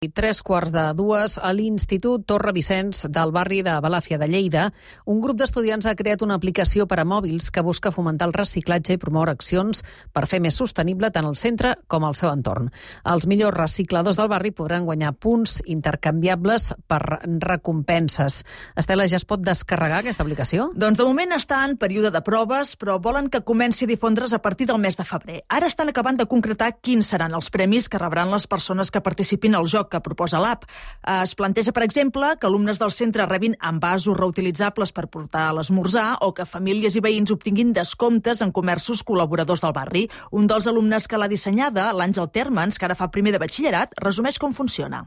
3:45 a l'Institut Torre Vicenç del barri de Balàfia de Lleida, un grup d'estudiants ha creat una aplicació per a mòbils que busca fomentar el reciclatge i promoure accions per fer més sostenible tant el centre com el seu entorn. Els millors recicladors del barri podran guanyar punts intercanviables per recompenses. Estela, ja es pot descarregar aquesta aplicació? Doncs de moment està en període de proves, però volen que comenci a difondre's a partir del mes de febrer. Ara estan acabant de concretar quins seran els premis que rebran les persones que participin al joc que proposa l'app. Es planteja, per exemple, que alumnes del centre rebin envasos reutilitzables per portar a l'esmorzar o que famílies i veïns obtinguin descomptes en comerços col·laboradors del barri. Un dels alumnes que l'ha dissenyada, l'Àngel Termans, que ara fa primer de batxillerat, resumeix com funciona.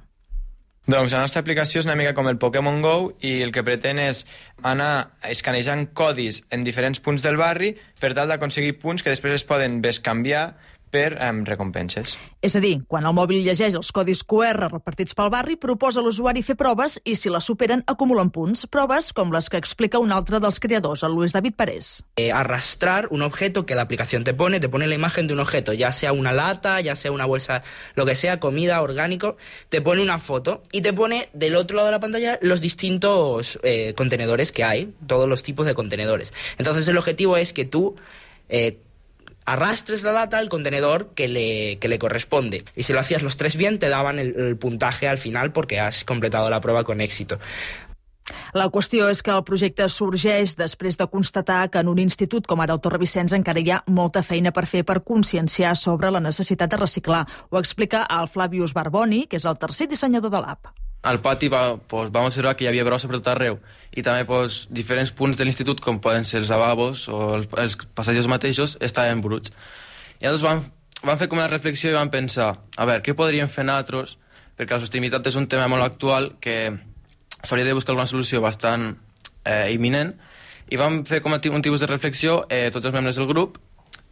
Doncs la nostra aplicació és una mica com el Pokémon Go i el que pretén és anar escanejant codis en diferents punts del barri per tal d'aconseguir punts que després es poden bescanviar per recompenses. És a dir, quan el mòbil llegeix els codis QR repartits pel barri, proposa a l'usuari fer proves i si les superen acumulen punts. Proves com les que explica un altre dels creadors, el Luis David Parés. Arrastrar un objeto que la aplicación te pone la imagen de un objeto, ya sea una lata, ya sea una bolsa, lo que sea, comida, orgánico, te pone una foto y te pone del otro lado de la pantalla los distintos contenedores que hay, todos los tipos de contenedores. Entonces el objetivo es que tú arrastres la lata al contenedor que le corresponde. Y si lo hacías los tres bien, te daban el puntaje al final porque has completado la prueba con éxito. La qüestió és que el projecte sorgeix després de constatar que en un institut com ara el Torre Vicenç encara hi ha molta feina per fer per conscienciar sobre la necessitat de reciclar. Ho explica el Flavius Barboni, que és el tercer dissenyador de l'app. Al pati vam observar que hi havia brossa per tot arreu i també diferents punts de l'institut, com poden ser els lavabos o els passatges mateixos, estaven bruts. I llavors vam fer com una reflexió i vam pensar, a veure, què podríem fer nosaltres? Perquè la sostenibilitat és un tema molt actual que s'hauria de buscar alguna solució bastant imminent, i vam fer com un tipus de reflexió tots els membres del grup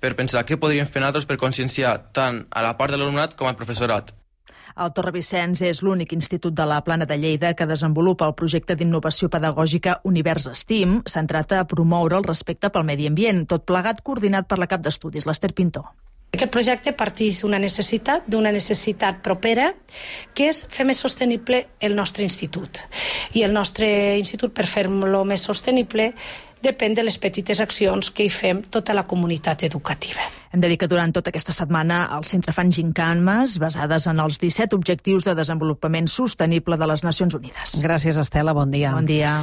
per pensar què podríem fer nosaltres per conscienciar tant a la part de l'alumnat com al professorat. El Torre Vicenç és l'únic institut de la Plana de Lleida que desenvolupa el projecte d'innovació pedagògica Univers STEAM, centrat a promoure el respecte pel medi ambient, tot plegat coordinat per la cap d'estudis, l'Ester Pintor. Aquest projecte parteix d'una necessitat propera, que és fer més sostenible el nostre institut. I el nostre institut, per fer-lo més sostenible, depèn de les petites accions que hi fem tota la comunitat educativa. Hem de dir que durant tota aquesta setmana al centre fan gincanes basades en els 17 objectius de desenvolupament sostenible de les Nacions Unides. Gràcies, Estela. Bon dia. Bon dia.